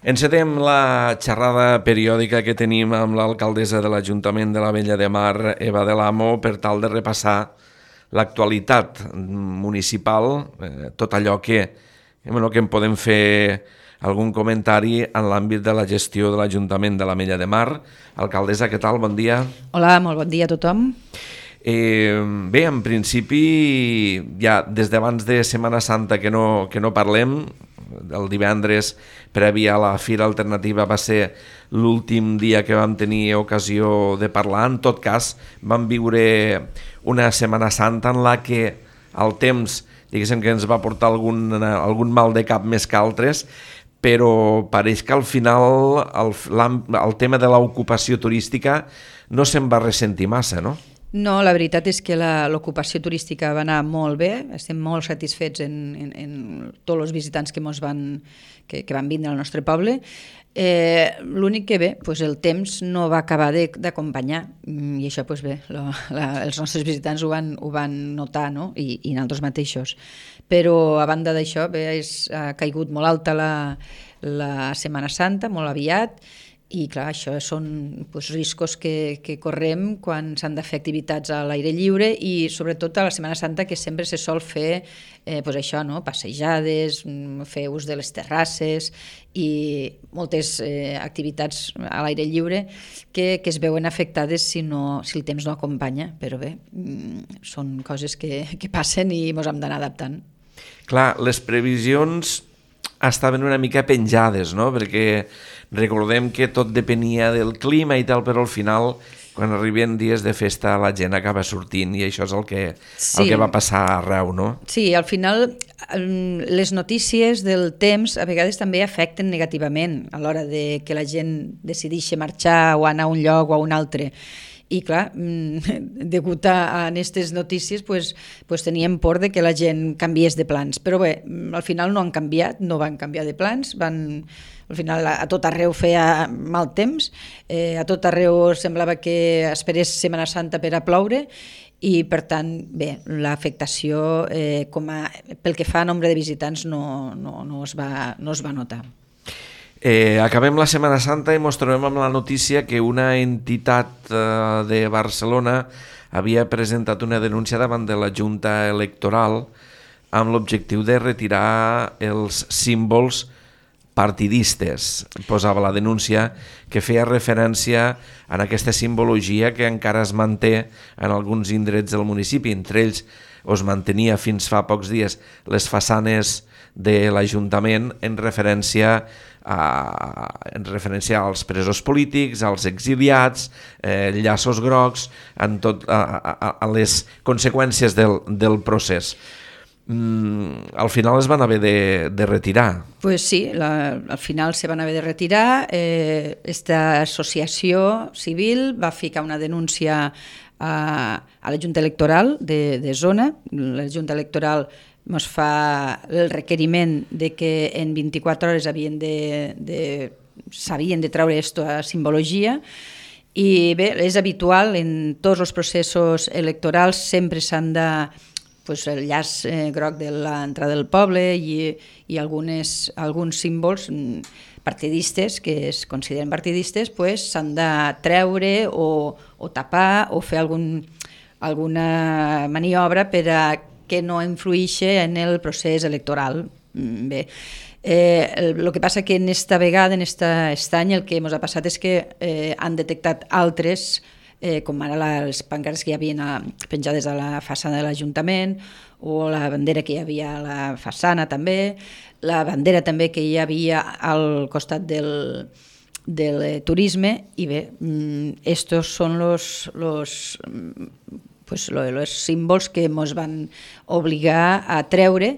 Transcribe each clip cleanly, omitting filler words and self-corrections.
Encetem la xerrada periòdica que tenim amb l'alcaldessa de l'Ajuntament de la Vella de Mar, Eva de l'Amo, per tal de repassar l'actualitat municipal, tot allò que en podem fer algun comentari en l'àmbit de la gestió de l'Ajuntament de la Vella de Mar. Alcaldessa, què tal? Bon dia. Hola, molt bon dia a tothom. Bé, en principi, ja des d'abans de Setmana Santa que no parlem. El divendres previ a la Fira Alternativa va ser l'últim dia que vam tenir ocasió de parlar. En tot cas, vam viure una Setmana Santa en la que el temps, diguéssim, que ens va portar algun mal de cap més que altres, però pareix que al final el tema de l'ocupació turística no se'n va ressentir massa, no? No, la veritat és que l'ocupació turística va anar molt bé, estem molt satisfets en tots els visitants que van vindre al nostre poble. L'únic que bé, el temps no va acabar d'acompanyar, i això bé, els nostres visitants ho van notar, no? I nosaltres mateixos. Però a banda d'això, ha caigut molt alta la Setmana Santa, molt aviat, i clar, això són riscos que correm quan s'han de fer activitats a l'aire lliure i sobretot a la Setmana Santa, que sempre se sol fer això, no? Passejades, fer ús de les terrasses i moltes activitats a l'aire lliure que es veuen afectades si el temps no acompanya, però bé, són coses que passen i ens hem d'anar adaptant. Clar, les previsions estaven una mica penjades, no? Perquè recordem que tot depenia del clima i tal, però al final, quan arriben dies de festa, la gent acaba sortint i això és el que va passar arreu, no? Sí, al final les notícies del temps a vegades també afecten negativament a l'hora de que la gent decideixi marxar o anar a un lloc o a un altre. I clar, degut a aquestes notícies teníem por de que la gent canviés de plans, però bé, al final no han canviat, no van canviar de plans, al final a tot arreu feia mal temps, a tot arreu semblava que esperés Setmana Santa per a ploure i per tant, bé, l'afectació pel que fa a nombre de visitants no es va notar. Acabem la Setmana Santa i ens trobem amb la notícia que una entitat de Barcelona havia presentat una denúncia davant de la Junta Electoral amb l'objectiu de retirar els símbols partidistes. Posava la denúncia que feia referència a aquesta simbologia que encara es manté en alguns indrets del municipi. Entre ells es mantenia fins fa pocs dies les façanes de l'Ajuntament en referència als presos polítics, als exiliats, llaços grocs, a les conseqüències del procés. Al final es van haver de retirar. Pues sí, al final se van haver de retirar. Esta associació civil va ficar una denúncia a la Junta Electoral de zona. La Junta Electoral ens fa el requeriment de que en 24 hores s'havien de treure aquesta simbologia i bé, és habitual en tots els processos electorals, sempre s'han de el llaç groc de l'entrada del poble i alguns símbols partidistes que es consideren partidistes s'han de treure o tapar o fer alguna maniobra per a que no influïxi en el procés electoral. Bé, el que passa que en esta vegada, en aquest any, el que ens ha passat és que han detectat altres, com ara les pancartes que hi havia penjades a la façana de l'Ajuntament o la bandera que hi havia a la façana també, la bandera també que hi havia al costat del turisme i bé, estos són los símbols que ens van obligar a treure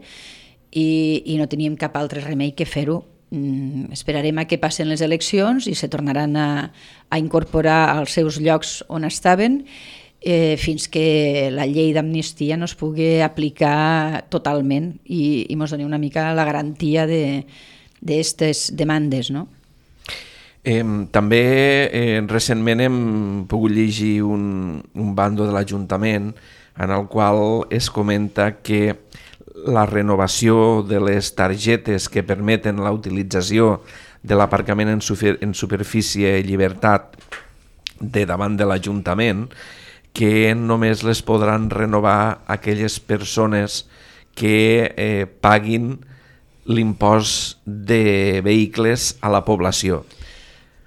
i no teníem cap altre remei que fer-ho. Esperarem a que passen les eleccions i se tornaran a incorporar als seus llocs on estaven fins que la llei d'amnistia no es pugui aplicar totalment i ens doni una mica la garantia d'aquestes demandes, no? També recentment hem pogut llegir un bando de l'Ajuntament en el qual es comenta que la renovació de les targetes que permeten la utilització de l'aparcament en superfície i llibertat de davant de l'Ajuntament, que només les podran renovar aquelles persones que paguin l'impost de vehicles a la població.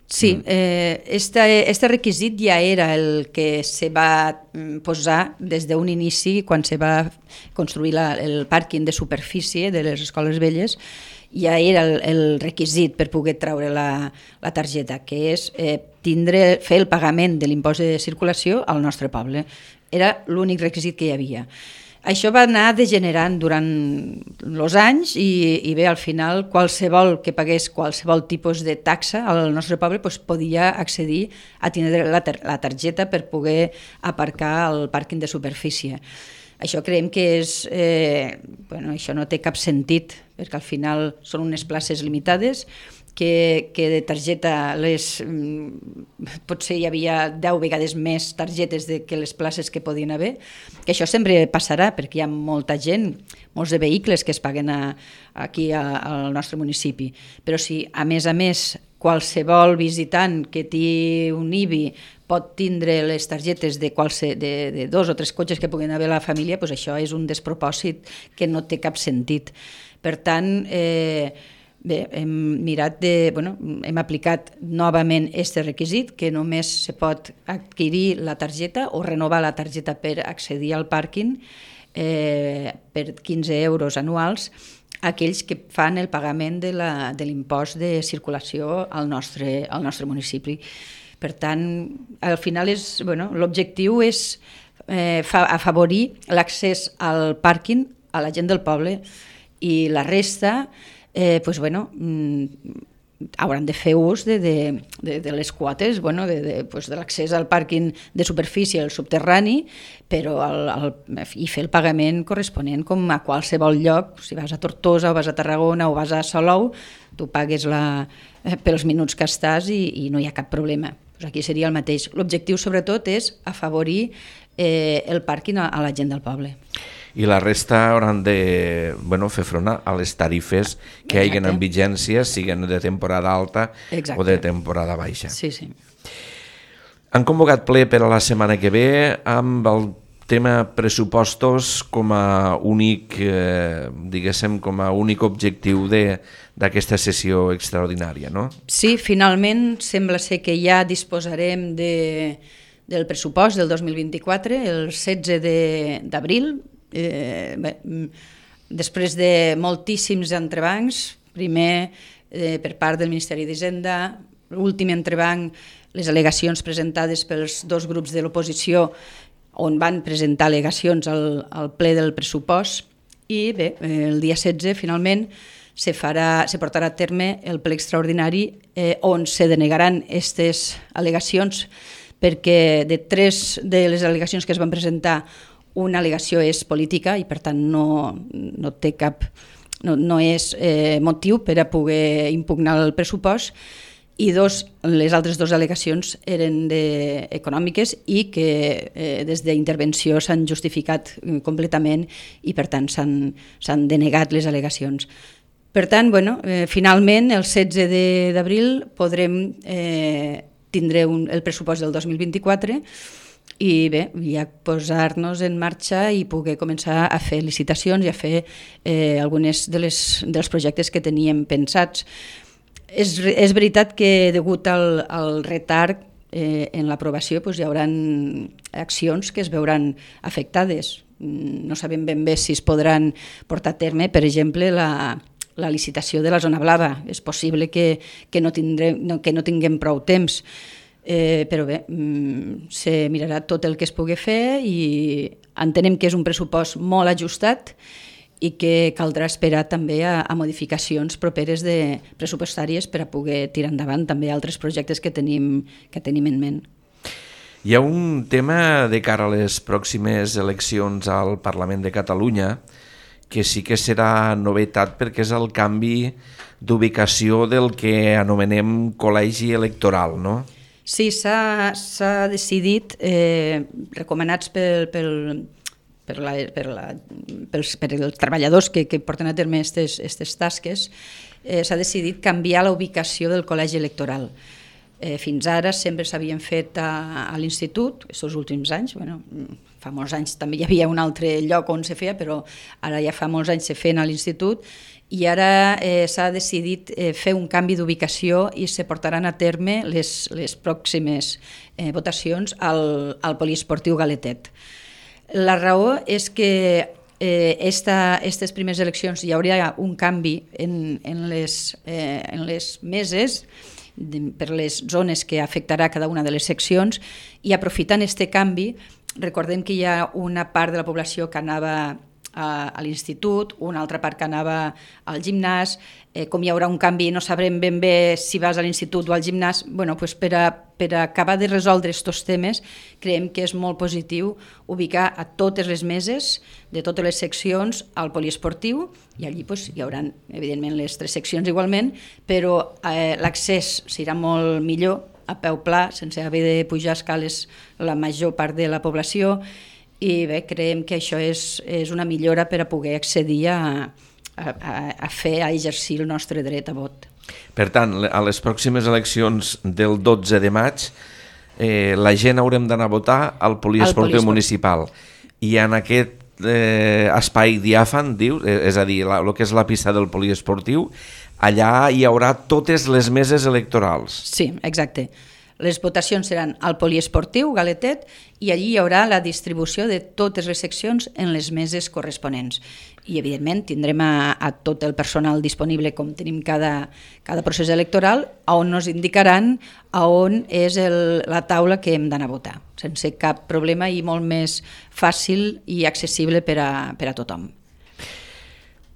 Sí, este requisit ja era el que se va posar des d'un inici quan se va construir el pàrquing de superfície de les escoles velles. Ja era el requisit per poder treure la targeta, que és fer el pagament de l'impost de circulació al nostre poble. Era l'únic requisit que hi havia. Això va anar degenerant durant els anys i bé, al final qualsevol que pagués qualsevol tipus de taxa al nostre poble podia accedir a tindre la targeta per poder aparcar al pàrquing de superfície. Això creiem que això no té cap sentit, perquè al final són unes places limitades, que de targeta potser hi havia 10 vegades més targetes que les places que podien haver, que això sempre passarà perquè hi ha molta gent, molts de vehicles que es paguen aquí al nostre municipi, però si a més qualsevol visitant que tingui un IBI pot tindre les targetes de 2 o 3 cotxes que puguin haver a la família, doncs això és un despropòsit que no té cap sentit. Per tant, bé, hem aplicat novament aquest requisit, que només se pot adquirir la targeta o renovar la targeta per accedir al pàrquing per 15 euros anuals, aquells que fan el pagament de l'impost de circulació al nostre municipi. Per tant, al final l'objectiu és afavorir l'accés al pàrquing a la gent del poble i la resta hauran de fer ús de les quotes, de l'accés al pàrquing de superfície, al subterrani, i fer el pagament corresponent com a qualsevol lloc. Si vas a Tortosa o vas a Tarragona o vas a Salou, tu pagues pels minuts que estàs i no hi ha cap problema. Aquí seria el mateix. L'objectiu sobretot és afavorir el pàrquing a la gent del poble. I la resta hauran de fer front a les tarifes que hi hagin en vigència, siguin de temporada alta o de temporada baixa. Sí, sí. Han convocat ple per a la setmana que ve amb el tema pressupostos com a únic, com a únic objectiu d'aquesta sessió extraordinària, no? Sí, finalment sembla ser que ja disposarem del pressupost del 2024 el 16 d'abril. Després de moltíssims entrebancs, primer per part del Ministeri d'Hisenda, l'últim entrebanc, les al·legacions presentades pels 2 grups de l'oposició on van presentar al·legacions al ple del pressupost i bé, el dia 16 finalment se portarà a terme el ple extraordinari on se denegaran aquestes al·legacions perquè de 3 de les al·legacions que es van presentar una al·legació és política i per tant no té no és motiu per a poder impugnar el pressupost i les altres 2 al·legacions eren econòmiques i que des d'intervenció s'han justificat completament i per tant s'han denegat les al·legacions. Per tant, finalment el 16 d'abril podrem tindre el pressupost del 2024 i bé, ja posar-nos en marxa i poder començar a fer licitacions i a fer algunes dels projectes que teníem pensats. És veritat que degut al retard en l'aprovació hi haurà accions que es veuran afectades. No sabem ben bé si es podran portar a terme, per exemple, la licitació de la zona blava. És possible que no tinguem prou temps, però bé, se mirarà tot el que es pugui fer i entenem que és un pressupost molt ajustat i que caldrà esperar també a modificacions properes pressupostàries per a poder tirar endavant també altres projectes que tenim en ment. Hi ha un tema de cara a les pròximes eleccions al Parlament de Catalunya que sí que serà novetat perquè és el canvi d'ubicació del que anomenem col·legi electoral, no? Sí, s'ha decidit, recomanats pels treballadors que porten a terme aquestes tasques, s'ha decidit canviar la ubicació del col·legi electoral. Fins ara sempre s'havien fet a l'institut, aquests últims anys, fa molts anys també hi havia un altre lloc on se feia, però ara ja fa molts anys se feien a l'institut, i ara s'ha decidit fer un canvi d'ubicació i se portaran a terme les pròximes votacions al poliesportiu Galetet. La raó és que aquestes primeres eleccions hi hauria un canvi en les meses per les zones que afectarà cada una de les seccions, i aprofitant aquest canvi, recordem que hi ha una part de la població que anava a l'institut, una altra part que anava al gimnàs, com hi haurà un canvi no sabrem ben bé si vas a l'institut o al gimnàs, per acabar de resoldre aquests temes creiem que és molt positiu ubicar a totes les meses de totes les seccions al poliesportiu, i allí hi haurà evidentment les 3 seccions igualment, però l'accés serà molt millor a peu pla, sense haver de pujar escales la major part de la població, i bé, creiem que això és una millora per a poder accedir a exercir el nostre dret a vot. Per tant, a les pròximes eleccions del 12 de maig la gent haurem d'anar a votar al poliesportiu municipal, i en aquest espai diàfan, dius, és a dir, el que és la pista del poliesportiu, allà hi haurà totes les meses electorals. Sí, exacte. Les votacions seran al poliesportiu Galetet, i allí hi haurà la distribució de totes les seccions en les meses corresponents. I, evidentment, tindrem a tot el personal disponible, com tenim cada procés electoral, on ens indicaran on és la taula que hem d'anar a votar, sense cap problema, i molt més fàcil i accessible per a tothom.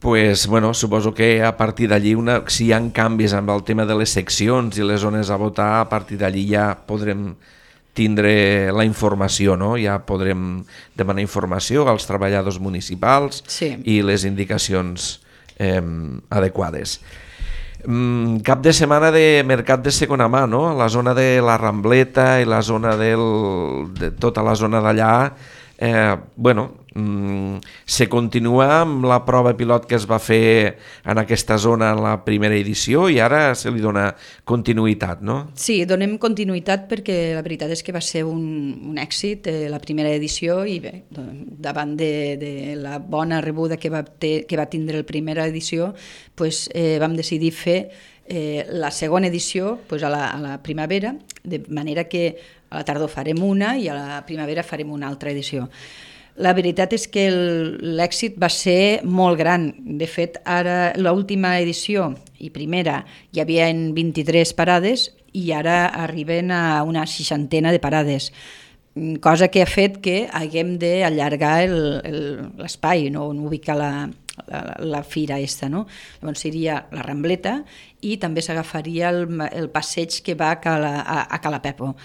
Pues, suposo que a partir d'allí, si hi ha canvis amb el tema de les seccions i les zones a votar, a partir d'allí ja podrem tindre la informació, no? Ja podrem demanar informació als treballadors municipals, sí, i les indicacions adequades. Cap de setmana de mercat de segona mà, no? La zona de la Rambleta i la zona de tota la zona d'allà, se continua amb la prova pilot que es va fer en aquesta zona en la primera edició, i ara se li dona continuïtat, no? Sí, donem continuïtat perquè la veritat és que va ser un èxit la primera edició, i bé, davant de la bona rebuda que va tindre la primera edició, vam decidir fer la segona edició a la primavera, de manera que a la tardor farem una i a la primavera farem una altra edició. La veritat és que l'èxit va ser molt gran. De fet, ara l'última edició i primera hi havia 23 parades, i ara arriben a una 60 de parades, cosa que ha fet que haguem d'allargar l'espai, no? On ubicar la fira aquesta, no? Llavors seria la Rambleta, i també s'agafaria el passeig que va a Calapepo.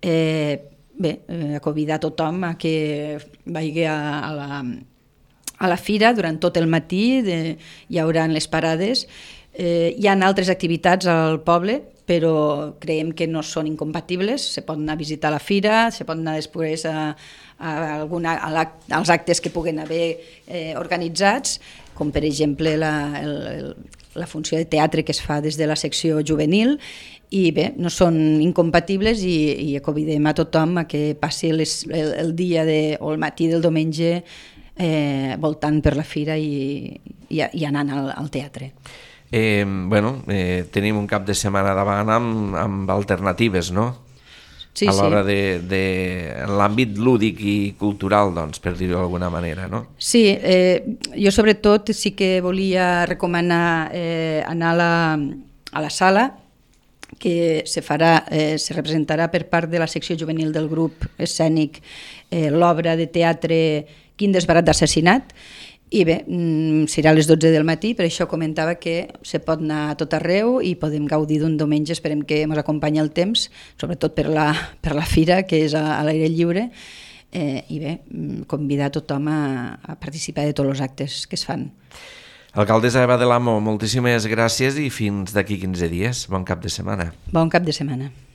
A convidar tothom a que vagi a la fira durant tot el matí, hi haurà les parades. Hi ha altres activitats al poble, però creiem que no són incompatibles. Se pot anar a visitar la fira, se pot anar després als actes que puguen haver organitzats, com per exemple la funció de teatre que es fa des de la secció juvenil, i bé, no són incompatibles, i convidem a tothom a que passi el dia o el matí del diumenge voltant per la fira i anant al teatre. Tenim un cap de setmana davant amb alternatives, no? Sí, a l'hora de l'àmbit lúdic i cultural, doncs, per dir-ho d'alguna manera, no? Sí, jo sobretot sí que volia recomanar anar a la sala, que se representarà per part de la secció juvenil del grup escènic l'obra de teatre Quin desbarat d'assassinat, i bé, serà a les 12 del matí, per això comentava que se pot anar a tot arreu i podem gaudir d'un diumenge. Esperem que ens acompanyi el temps, sobretot per la fira, que és a l'aire lliure, i bé, convidar tothom a participar de tots els actes que es fan. Alcaldessa Eva del Amo, moltíssimes gràcies, i fins d'aquí 15 dies. Bon cap de setmana. Bon cap de setmana.